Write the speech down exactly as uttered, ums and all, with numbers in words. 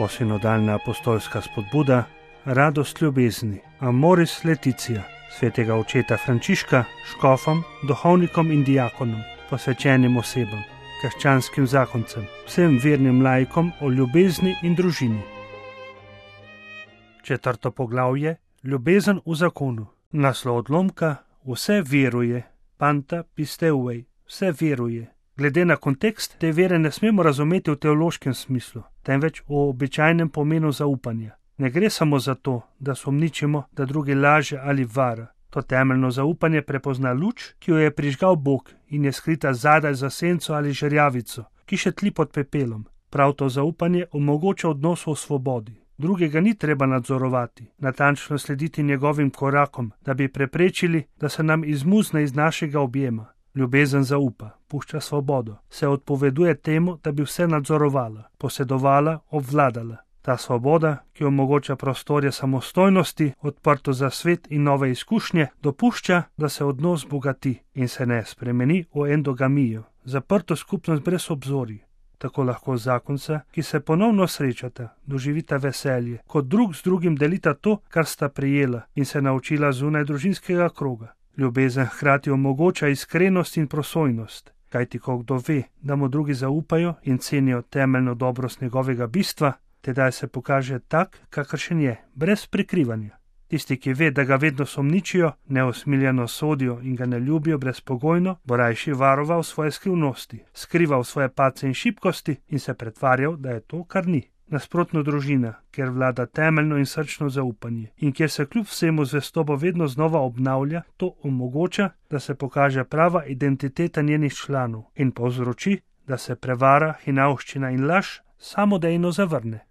Posinodalna apostolska spodbuda, radost ljubezni, Amoris Laetitia, svetega očeta Frančiška, škofom, duhovnikom in diakonom, posvečenim osebam, krščanskim zakoncem, vsem vernim laikom o ljubezni in družini. Četrto poglavje, ljubezen v zakonu. Naslov odlomka, vse veruje, panta pisteuvej, vse veruje. Glede na kontekst, te vere ne smemo razumeti v teološkem smislu, temveč v običajnem pomenu zaupanja. Ne gre samo za to, da sumničimo, da drugi laže ali vara. To temeljno zaupanje prepozna luč, ki jo je prižgal Bog in je skrita zadaj za senco ali žerjavico, ki še tli pod pepelom. Prav to zaupanje omogoča odnos v svobodi. Drugega ni treba nadzorovati, natančno slediti njegovim korakom, da bi preprečili, da se nam izmuzne iz našega objema. Ljubezen zaupa, pušča svobodo, se odpoveduje temu, da bi vse nadzorovala, posedovala, obvladala. Ta svoboda, ki omogoča prostorje samostojnosti, odprto za svet in nove izkušnje, dopušča, da se odnos bogati in se ne spremeni v endogamijo, zaprto skupnost brez obzorij. Tako lahko zakonca, ki se ponovno srečata, doživita veselje, kot drug z drugim delita to, kar sta prijela in se naučila zunaj družinskega kroga. Ljubezen hkrati omogoča iskrenost in prosojnost, kajti ko kdo ve, da mu drugi zaupajo in cenijo temeljno dobrost njegovega bistva, tedaj se pokaže tak, kakršen je, brez prikrivanja. Tisti, ki ve, da ga vedno sumničijo, neusmiljeno sodijo in ga ne ljubijo brezpogojno, bo rajši varoval svoje skrivnosti, skrival svoje padce in šibkosti in se pretvarjal, da je to, kar ni. Nasprotno družina, kjer vlada temeljno in srčno zaupanje in kjer se kljub vsemu zvestobo vedno znova obnavlja, to omogoča, da se pokaže prava identiteta njenih članov in povzroči, da se prevara, hinavščina in laž samodejno zavrne.